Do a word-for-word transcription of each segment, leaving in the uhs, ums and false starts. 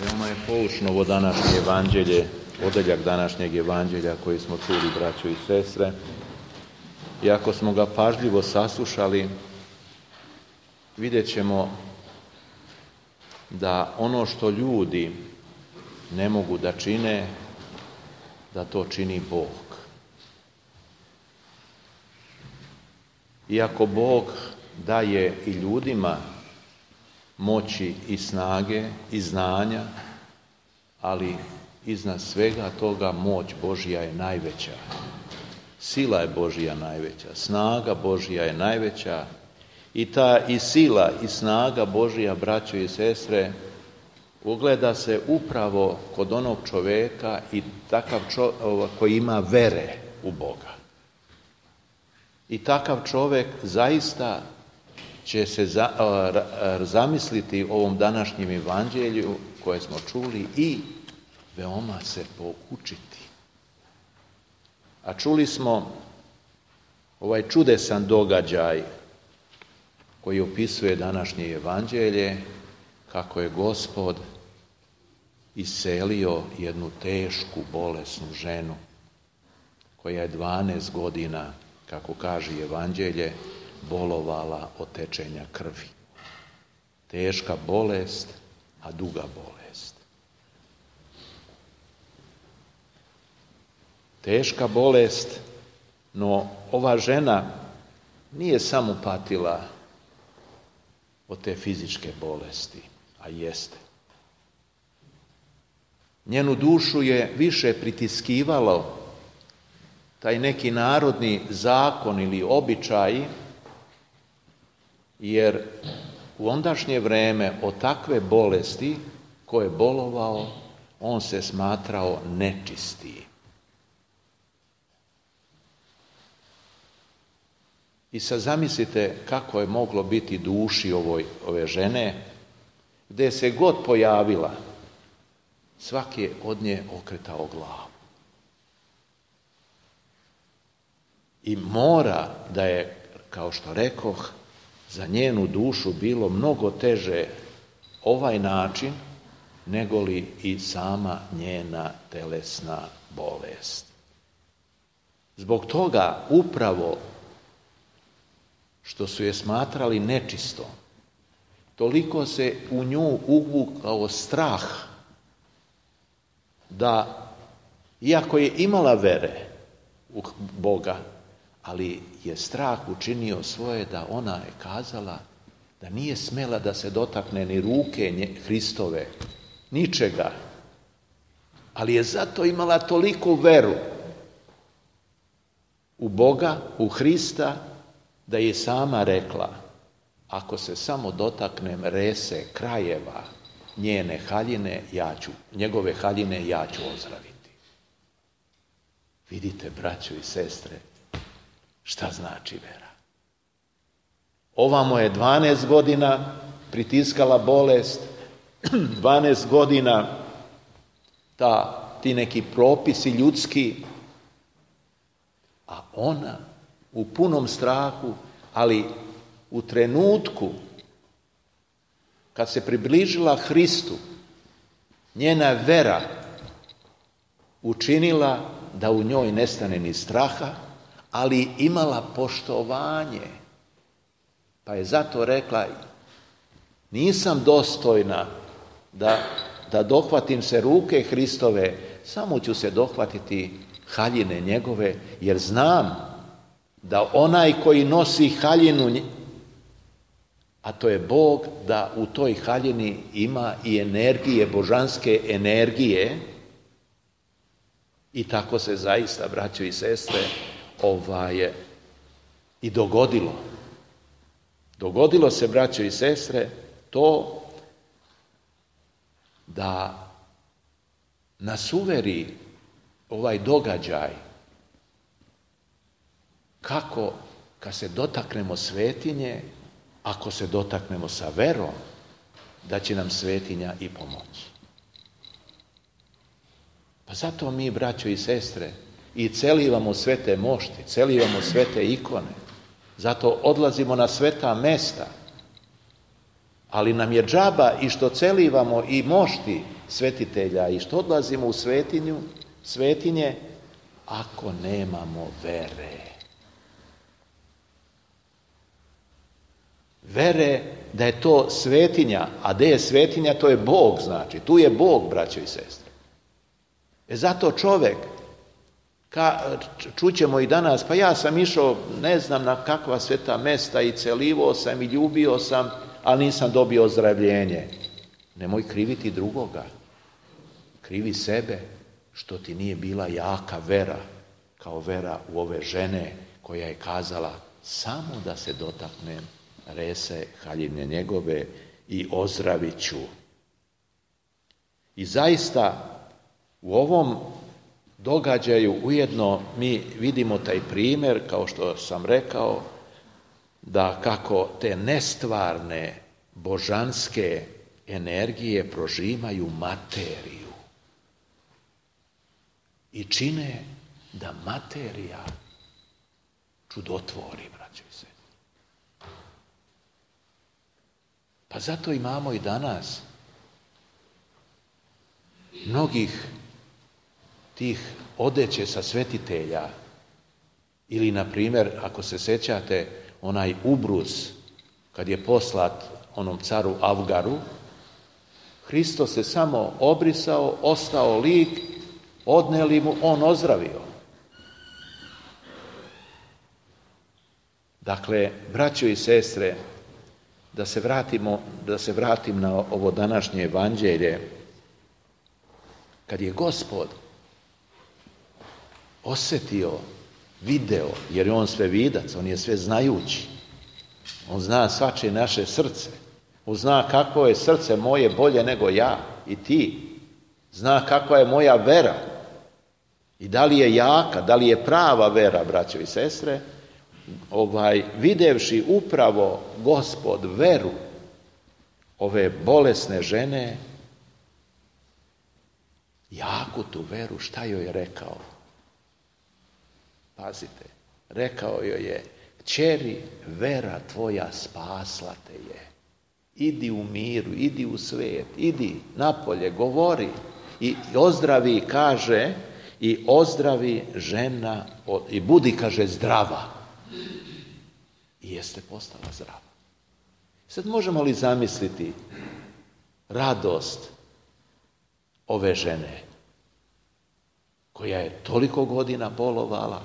Veoma je poučno ovo današnje evanđelje, odeljak današnjeg evanđelja koji smo čuli, braćo i sestre. I ako smo ga pažljivo saslušali, vidjet ćemo da ono što ljudi ne mogu da čine, da to čini Bog. Iako Bog daje i ljudima moći i snage i znanja, ali iznad svega toga moć Božja je najveća. Sila je Božja najveća, snaga Božja je najveća i ta i sila i snaga Božja, braćo i sestre, ogleda se upravo kod onog čovjeka i takav čovjek koji ima vere u Boga. I takav čovjek zaista će se za, a, zamisliti o ovom današnjem evanđelju koje smo čuli i veoma se poučiti. A čuli smo ovaj čudesan događaj koji opisuje današnje evanđelje, kako je Gospod iscelio jednu tešku bolesnu ženu koja je dvanaest godina, kako kaže evanđelje, bolovala od tečenja krvi. Teška bolest, a duga bolest. Teška bolest, no ova žena nije samo patila od te fizičke bolesti, a jeste. Njenu dušu je više pritiskivalo taj neki narodni zakon ili običaj, jer u ondašnje vreme od takve bolesti ko je bolovao, on se smatrao nečistiji. I sad zamislite kako je moglo biti duši ovoj, ove žene, gdje se god pojavila, svaki je od nje okretao glavu. I mora da je, kao što rekoh, za njenu dušu bilo mnogo teže ovaj način, nego li i sama njena telesna bolest. Zbog toga upravo što su je smatrali nečistom, toliko se u nju uvukao strah da, iako je imala vere u Boga, ali je strah učinio svoje da ona je kazala da nije smela da se dotakne ni ruke Hristove, ničega, ali je zato imala toliku veru u Boga, u Hrista, da je sama rekla, ako se samo dotaknem rese krajeva njene haljine, ja ću, njegove haljine ja ću ozdraviti. Vidite, braćo i sestre, šta znači vera? Ovamo je dvanaest godina pritiskala bolest, dvanaest godina ta, ti neki propisi ljudski, a ona u punom strahu, ali u trenutku kad se približila Hristu, njena vera učinila da u njoj nestane ni straha, ali imala poštovanje. Pa je zato rekla, nisam dostojna da, da dohvatim se ruke Hristove, samo ću se dohvatiti haljine njegove, jer znam da onaj koji nosi haljinu, a to je Bog, da u toj haljini ima i energije, božanske energije, i tako se zaista, braćo i sestre, ovaj, i dogodilo. Dogodilo se, braćo i sestre, to da nas uveri ovaj događaj kako kad se dotaknemo svetinje, ako se dotaknemo sa verom, da će nam svetinja i pomoći. Pa zato mi, braćo i sestre, i celivamo svete mošti, celivamo svete ikone, zato odlazimo na sveta mesta, Ali nam je džaba i što celivamo i mošti svetitelja i što odlazimo u svetinju, svetinje, ako nemamo vere. Vere da je to svetinja, a gde je svetinja, to je Bog, znači. Tu je Bog, braćo i sestre. E zato čovek, ka, čućemo i danas, pa ja sam išao, ne znam na kakva sveta mesta i celivo sam i ljubio sam, ali nisam dobio ozdravljenje. Nemoj kriviti drugoga. Krivi sebe što ti nije bila jaka vera, kao vera u ove žene koja je kazala samo da se dotaknem rese haljine njegove i ozdravit ću. I zaista u ovom događaju ujedno mi vidimo taj primjer, kao što sam rekao, da kako te nestvarne božanske energije prožimaju materiju i čine da materija čudotvori, braćo i sestre. Pa zato imamo i danas mnogih tih odeće sa svetitelja ili, na primjer, ako se sećate, onaj ubrus kad je poslat onom caru Avgaru, Hristos se samo obrisao, ostao lik, odneli mu, on ozdravio. Dakle, braćo i sestre, da se vratimo, da se vratim na ovo današnje evanđelje, kad je Gospod osjetio, video, jer je on sve vidac, on je sve znajući, on zna svačije naše srce, on zna kako je srce moje bolje nego ja i ti, zna kakva je moja vera i da li je jaka, da li je prava vera, braćo i sestre. Ovaj, videvši upravo Gospod veru ove bolesne žene, jaku tu veru, šta joj je rekao? Pazite, rekao joj je: kćeri, vera tvoja spasla te je. Idi u miru, idi u svijet, idi napolje, govori i ozdravi, kaže, i ozdravi žena i budi, kaže, zdrava. I jeste postala zdrava. Sad možemo li zamisliti radost ove žene koja je toliko godina bolovala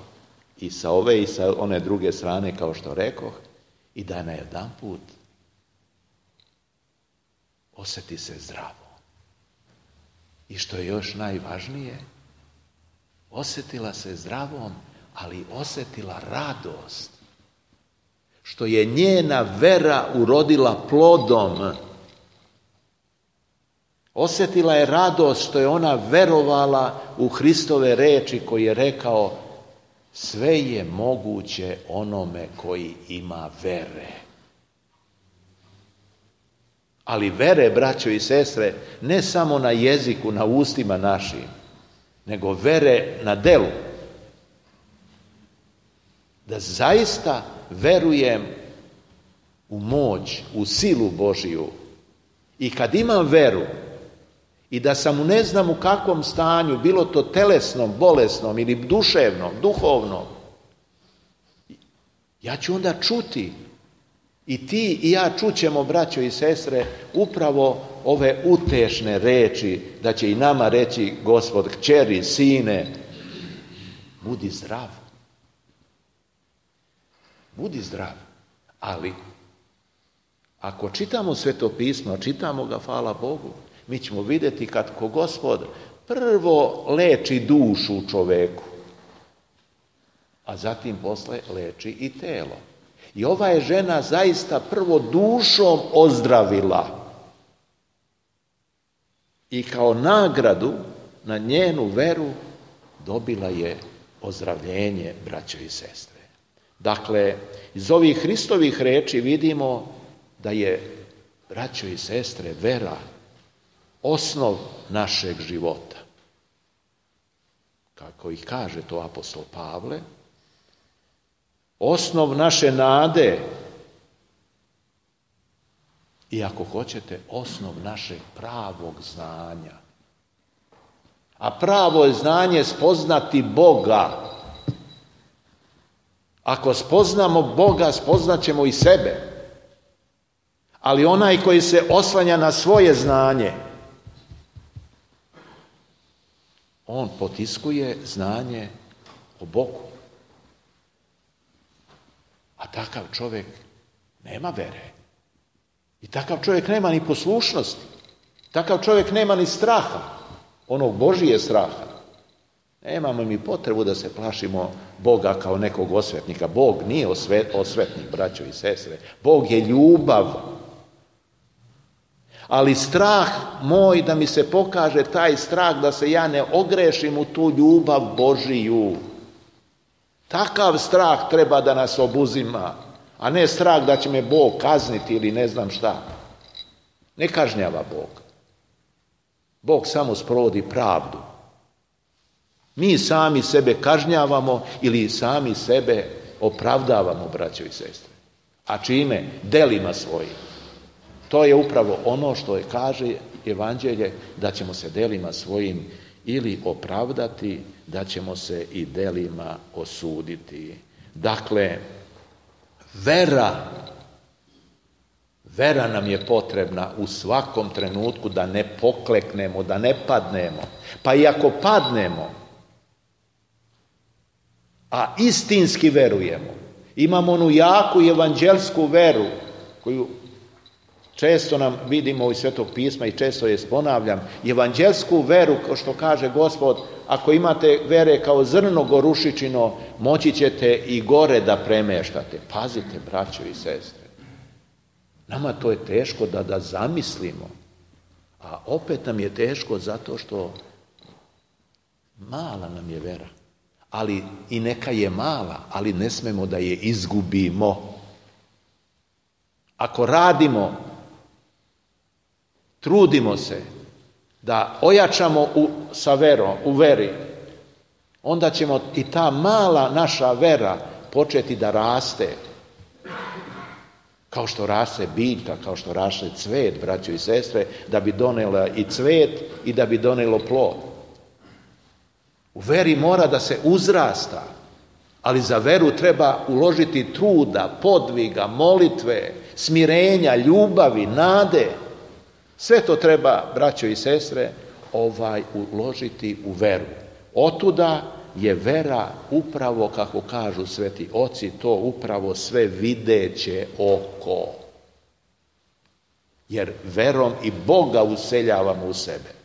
i sa ove i sa one druge strane, kao što rekoh, i da na jedan put osjeti se zdravo. I što je još najvažnije, osjetila se zdravom, ali osjetila radost. Što je njena vera urodila plodom. Osjetila je radost što je ona verovala u Hristove reči koji je rekao: sve je moguće onome koji ima vere. Ali vere, braćo i sestre, ne samo na jeziku, na ustima našim, nego vere na delu. Da zaista verujem u moć, u silu Božiju. I kad imam veru i da sam u ne znam u kakvom stanju, bilo to telesnom, bolesnom ili duševnom, duhovnom, ja ću onda čuti, i ti i ja čućemo, braćo i sestre, upravo ove utešne reči, da će i nama reći Gospod: kćeri, sine, budi zdrav. Budi zdrav. Ali, ako čitamo Sveto pismo, čitamo ga, hvala Bogu, mi ćemo vidjeti kad ko Gospod prvo leči dušu u čoveku, a zatim posle leči i telo. I ova je žena zaista prvo dušom ozdravila. I kao nagradu na njenu veru dobila je ozdravljenje, braćo i sestre. Dakle, iz ovih Hristovih reči vidimo da je, braćo i sestre, vera osnov našeg života. Kako ih kaže to apostol Pavle, osnov naše nade, i ako hoćete osnov našeg pravog znanja. A pravo je znanje spoznati Boga. Ako spoznamo Boga, spoznat ćemo i sebe. Ali onaj koji se oslanja na svoje znanje, on potiskuje znanje o Bogu. A takav čovjek nema vere. I takav čovjek nema ni poslušnosti. Takav čovjek nema ni straha. Onog Božije straha. Nemamo mi potrebu da se plašimo Boga kao nekog osvetnika. Bog nije osvetnik, braćo i sestre. Bog je ljubav. Ali strah moj da mi se pokaže taj strah da se ja ne ogrešim u tu ljubav Božiju. Takav strah treba da nas obuzima, a ne strah da će me Bog kazniti ili ne znam šta. Ne kažnjava Bog. Bog samo sprovodi pravdu. Mi sami sebe kažnjavamo ili sami sebe opravdavamo, braćo i sestre. A čime? Delima svojim. To je upravo ono što je kaže Evanđelje, da ćemo se delima svojim ili opravdati, da ćemo se i delima osuditi. Dakle, vera, vera nam je potrebna u svakom trenutku da ne pokleknemo, da ne padnemo. Pa i ako padnemo, a istinski verujemo, imamo onu jaku evanđelsku veru koju često nam vidimo iz Svetog pisma i često je ponavljam, evanđelsku veru, kao što kaže Gospod, ako imate vere kao zrno gorušičino, moći ćete i gore da premeštate. Pazite, braćo i sestre, nama to je teško da, da zamislimo, a opet nam je teško zato što mala nam je vera. Ali i neka je mala, ali ne smemo da je izgubimo. Ako radimo, trudimo se da ojačamo u, sa verom, u veri, onda ćemo i ta mala naša vera početi da raste. Kao što raste biljka, kao što raste cvet, braćo i sestre, da bi donela i cvet i da bi donelo plod. U veri mora da se uzrasta, ali za veru treba uložiti truda, podviga, molitve, smirenja, ljubavi, nade. Sve to treba, braćo i sestre, ovaj uložiti u veru. Otuda je vera upravo, kako kažu sveti oci, to upravo sve videće oko. Jer verom i Boga useljavamo u sebe.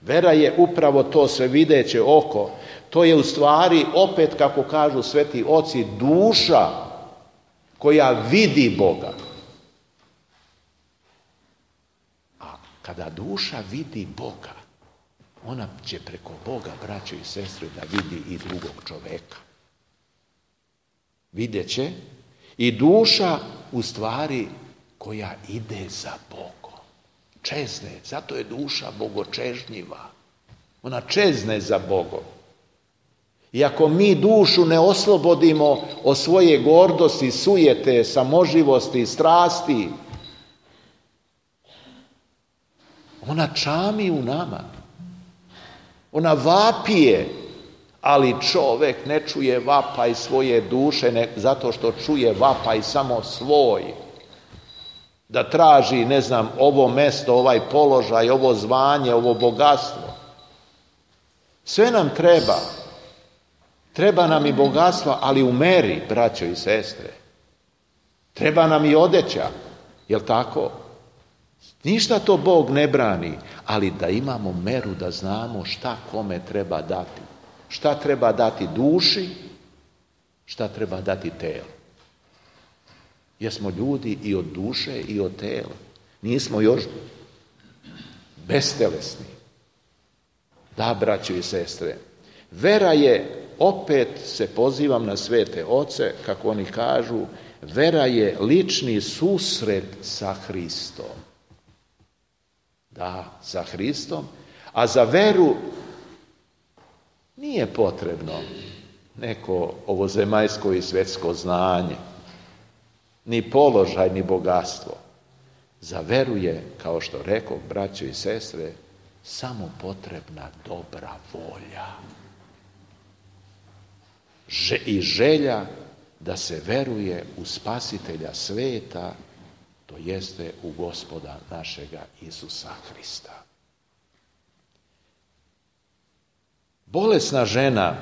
Vera je upravo to sve videće oko. To je u stvari, opet kako kažu sveti oci, duša koja vidi Boga. A kada duša vidi Boga, ona će preko Boga, braćo i sestre, da vidi i drugog čoveka. Vidjet će i duša u stvari koja ide za Bogom. Čezne, zato je duša bogočežnjiva. Ona čezne za Bogom. I ako mi dušu ne oslobodimo od svoje gordosti, sujete, samoživosti, strasti, ona čami u nama. Ona vapije, ali čovek ne čuje vapaj svoje duše, ne, zato što čuje vapaj samo svoj. Da traži, ne znam, ovo mesto, ovaj položaj, ovo zvanje, ovo bogatstvo. Sve nam treba. Treba nam i bogatstvo, ali u meri, braćo i sestre. Treba nam i odeća, jel tako? Ništa to Bog ne brani, ali da imamo meru, da znamo šta kome treba dati. Šta treba dati duši, šta treba dati telu. Jer smo ljudi i od duše i od tela. Nismo još bestelesni. Da, braćo i sestre, vera je, opet se pozivam na svete oce, kako oni kažu, vera je lični susret sa Hristom. Da, sa Hristom. A za veru nije potrebno neko ovozemaljsko i svjetsko znanje, ni položaj, ni bogatstvo. Za veru je, kao što rekao, braćo i sestre, samo potrebna dobra volja. I želja da se veruje u Spasitelja sveta, to jeste u Gospoda našega Isusa Hrista. Bolesna žena,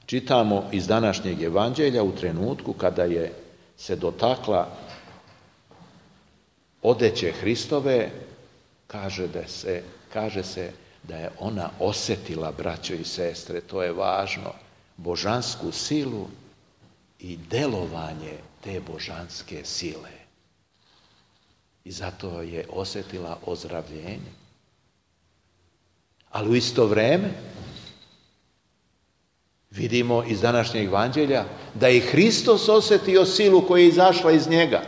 čitamo iz današnjeg evanđelja, u trenutku kada je se dotakla odeće Hristove, kaže, da se, kaže se da je ona osjetila, braćo i sestre, to je važno, božansku silu i delovanje te božanske sile. I zato je osjetila ozdravljenje. Ali u isto vrijeme vidimo iz današnjeg evanđelja da je Hristos osjetio silu koja je izašla iz njega.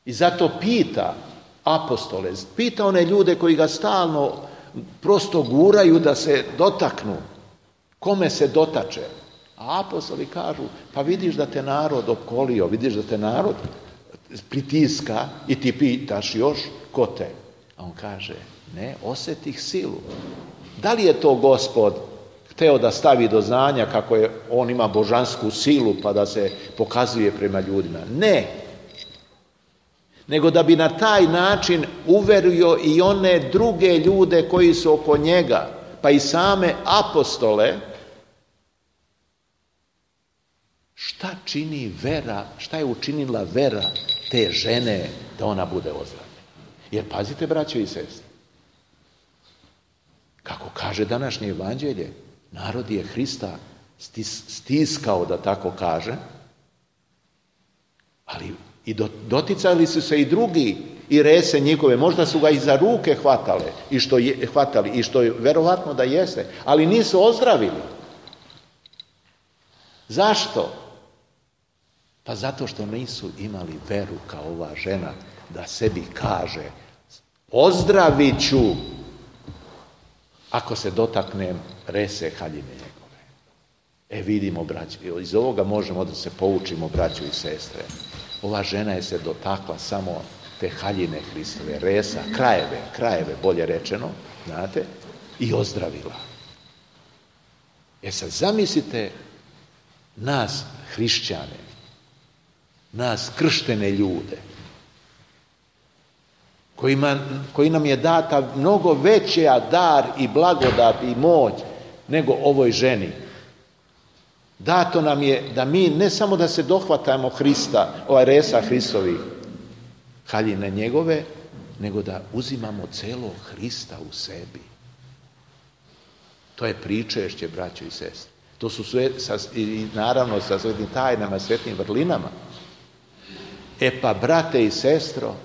I zato pita apostole, pita one ljude koji ga stalno prosto guraju da se dotaknu. Kome se dotače? A apostoli kažu, pa vidiš da te narod opkolio, vidiš da te narod pritiska i ti pitaš još ko te. A on kaže, ne, osjetih silu. Da li je to Gospod hteo da stavi do znanja kako je on ima božansku silu pa da se pokazuje prema ljudima? Ne. Nego da bi na taj način uverio i one druge ljude koji su oko njega, pa i same apostole, šta čini vera, šta je učinila vera te žene da ona bude ozdravljena. Jer pazite, braćo i sestre, kako kaže današnje evanđelje, narod je Hrista stis, stiskao, da tako kaže, ali i doticali su se i drugi i rese njihove, možda su ga i za ruke hvatale, i što je, hvatali, i što je verovatno da jeste, ali nisu ozdravili. Zašto? Pa zato što nisu imali veru kao ova žena da sebi kaže, ozdravit ću ako se dotaknem rese haljine njegove. E vidimo, braći, iz ovoga možemo da se poučimo, braćo i sestre. Ova žena je se dotakla samo te haljine Hristove, resa, krajeve, krajeve bolje rečeno, znate, i ozdravila. E sad zamislite nas hrišćane, nas krštene ljude, kojima, koji nam je data mnogo veća dar i blagodat i moć nego ovoj ženi. Dato nam je da mi ne samo da se dohvatamo Hrista, ovaj resa Hristovih, haljine njegove, nego da uzimamo celo Hrista u sebi. To je pričešće, braćo i sestre. To su sve, sa, i naravno sa svetim tajnama, svetim vrlinama. E pa, brate i sestro,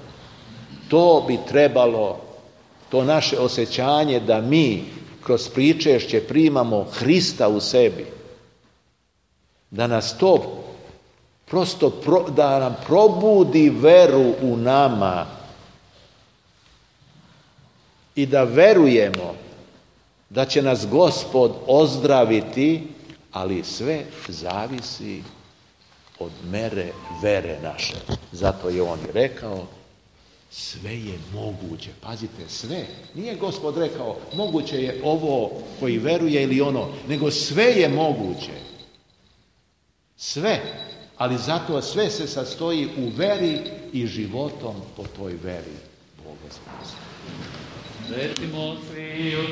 to bi trebalo, to naše osjećanje da mi kroz pričešće primamo Hrista u sebi, da nas to prosto, pro, da nam probudi veru u nama i da verujemo da će nas Gospod ozdraviti, ali sve zavisi od mere vere naše. Zato je on i rekao, sve je moguće. Pazite, sve. Nije Gospod rekao, moguće je ovo koji veruje ili ono, nego sve je moguće. Sve. Ali zato sve se sastoji u veri i životom po toj veri. Bog vas proslavlja. Recimo svi od